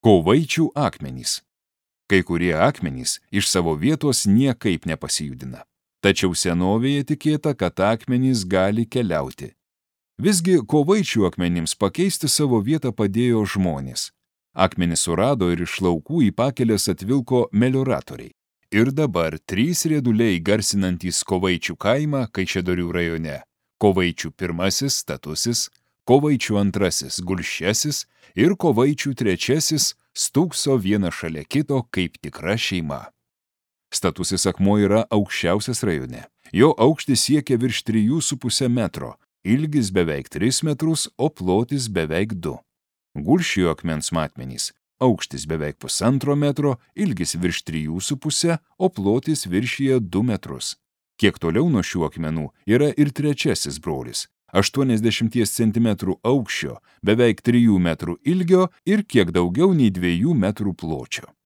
Kovaičių akmenys. Kai kurie akmenys iš savo vietos niekaip nepasijudina. Tačiau senovėje tikėta, kad akmenys gali keliauti. Visgi kovaičių akmenims pakeisti savo vietą padėjo žmonės. Akmenys surado ir iš laukų į pakelės atvilko melioratoriai. Ir dabar 3 rieduliai garsinantys Kovaičių kaimą Kaišiadorių rajone. Kovaičių 1 Statusis, Kovaičių 2 Gulsčiasis ir Kovaičių 3 stūkso vieną šalia kito kaip tikra šeima. Statusis akmuo yra aukščiausias rajone. Jo aukštis siekia virš 3,5 metro, ilgis beveik 3 metrus, o plotis beveik 2. Gulsčių akmens matmenys. Aukštis beveik 1,5 metro, ilgis virš 3,5, o plotis viršyje 2 metrus. Kiek toliau nuo šių akmenų yra ir 3 brolis. 80 cm aukščio, beveik 3 metrų ilgio ir kiek daugiau nei 2 metrų pločio.